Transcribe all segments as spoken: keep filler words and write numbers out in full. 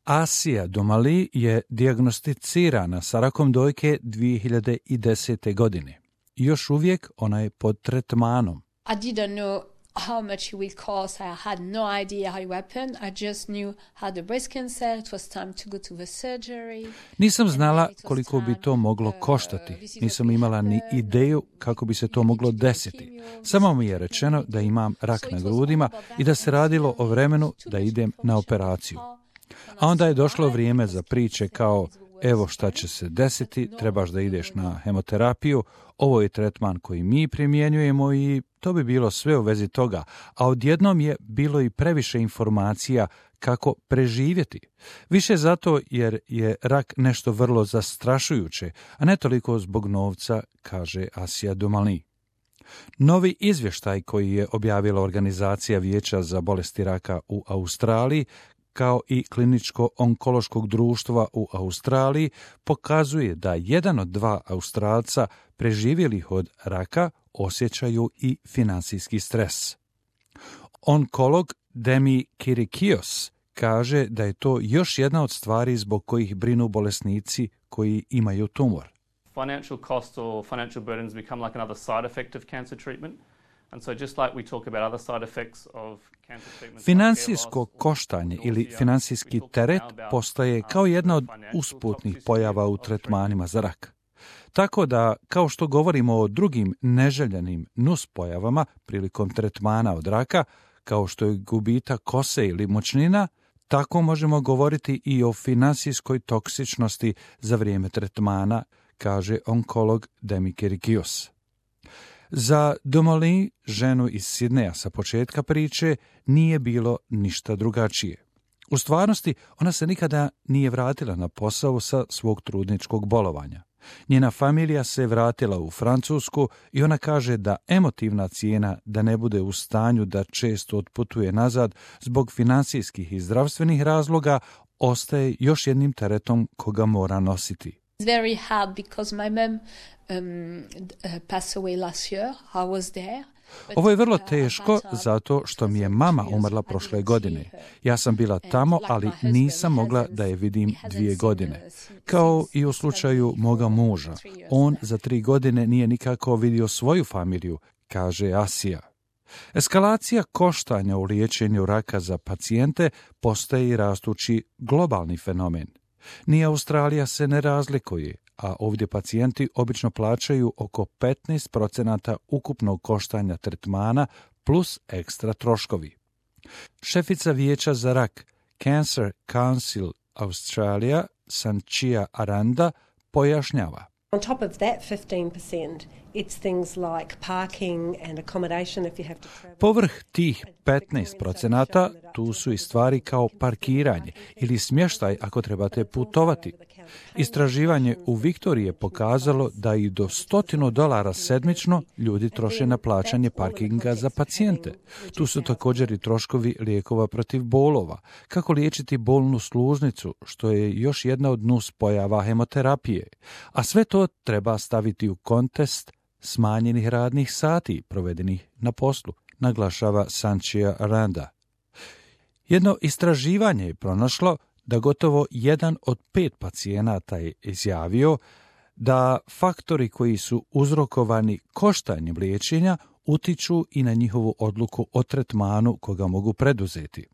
Asija Domali je dijagnosticirana sa rakom dojke dvije hiljade desete. godine. Još uvijek ona je pod tretmanom. I didn't know how much it would cost. I had no idea how it happened. I just knew I had a breast cancer. It was time to go to the surgery. Nisam znala koliko bi to moglo koštati. Nisam imala ni ideju kako bi se to moglo desiti. Samo mi je rečeno da imam rak na grudima i da se radilo o vremenu da idem na operaciju. A onda je došlo vrijeme za priče kao evo šta će se desiti, trebaš da ideš na hemoterapiju, ovo je tretman koji mi primjenjujemo i to bi bilo sve u vezi toga, a odjednom je bilo i previše informacija kako preživjeti. Više zato jer je rak nešto vrlo zastrašujuće, a ne toliko zbog novca, kaže Asija Domali. Novi izvještaj koji je objavila Organizacija Vijeća za bolesti raka u Australiji, kao i Kliničko-onkološkog društva u Australiji, pokazuje da jedan od dva Australca preživjelih od raka osjećaju i finansijski stres. Onkolog Demi Kirikios kaže da je to još jedna od stvari zbog kojih brinu bolesnici koji imaju tumor. Financial costs or financial burdens become like another side effect of cancer treatment. And so just like we talk about other side effects of cancer treatment. Financijsko koštanje ili financijski teret postaje kao jedna od usputnih pojava u tretmanima za rak. Tako da, kao što govorimo o drugim neželjenim nuspojavama prilikom tretmana od raka, kao što je gubitak kose ili moćnina, tako možemo govoriti i o finansijskoj toksičnosti za vrijeme tretmana, kaže onkolog Demi Kirikios. Za Domali, ženu iz Sidneja sa početka priče, nije bilo ništa drugačije. U stvarnosti, ona se nikada nije vratila na posao sa svog trudničkog bolovanja. Njena familija se vratila u Francusku i ona kaže da emotivna cijena da ne bude u stanju da često otputuje nazad zbog financijskih i zdravstvenih razloga ostaje još jednim teretom koga mora nositi. It's very hard because my mom um, passed away last year. I was there. Ovo je vrlo teško zato što mi je mama umrla prošle godine. Ja sam bila tamo, ali nisam mogla da je vidim dvije godine. Kao i u slučaju moga muža. On za tri godine nije nikako vidio svoju familiju, kaže Asija. Eskalacija koštanja u liječenju raka za pacijente postaje i rastući globalni fenomen. Ni Australija se ne razlikuje, a ovdje pacijenti obično plaćaju oko petnaest procenata ukupnog koštanja tretmana plus ekstra troškovi. Šefica Vijeća za rak Cancer Council Australia, Sanchia Aranda, pojašnjava. On top of that fifteen percent, it's things like parking and accommodation if you have to travel. Povrh tih petnaest procenata tu su i stvari kao parkiranje ili smještaj ako trebate putovati. Istraživanje u Viktoriji je pokazalo da i do stotinu dolara sedmično ljudi troše na plaćanje parkinga za pacijente. Tu su također i troškovi lijekova protiv bolova, kako liječiti bolnu sluznicu, što je još jedna od nuspojava hemoterapije. A sve to treba staviti u kontekst smanjenih radnih sati provedenih na poslu, naglašava Sanchia Aranda. Jedno istraživanje je pronašlo da gotovo jedan od pet pacijenata je izjavio da faktori koji su uzrokovani koštanjem liječenja utiču i na njihovu odluku o tretmanu koga mogu preduzeti.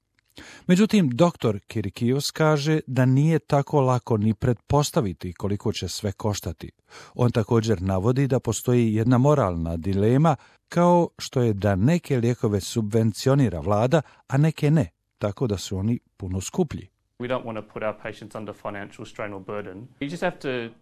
Međutim, doktor Kirikios kaže da nije tako lako ni pretpostaviti koliko će sve koštati. On također navodi da postoji jedna moralna dilema, kao što je da neke lijekove subvencionira vlada, a neke ne, tako da su oni puno skuplji. We don't want to put our patients under financial strain or burden. You just have to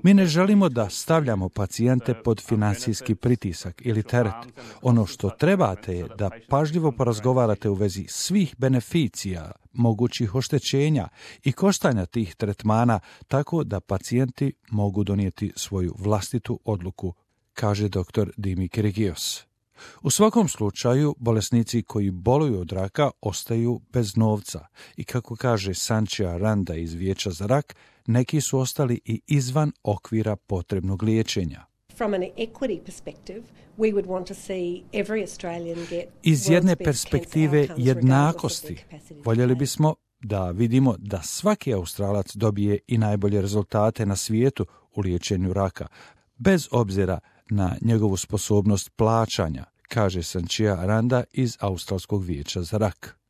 Mi ne želimo da stavljamo pacijente pod financijski pritisak ili teret. Ono što trebate je da pažljivo porazgovarate u vezi svih beneficija, mogućih oštećenja i koštanja tih tretmana tako da pacijenti mogu donijeti svoju vlastitu odluku, kaže doktor Demi Kirikios. U svakom slučaju, bolesnici koji boluju od raka ostaju bez novca i kako kaže Sanchia Aranda iz Vijeća za rak, neki su ostali i izvan okvira potrebnog liječenja. Iz jedne perspektive jednakosti, voljeli bismo da vidimo da svaki Australac dobije i najbolje rezultate na svijetu u liječenju raka, bez obzira na njegovu sposobnost plaćanja, kaže Sanchia Aranda iz Australskog vijeća za rak.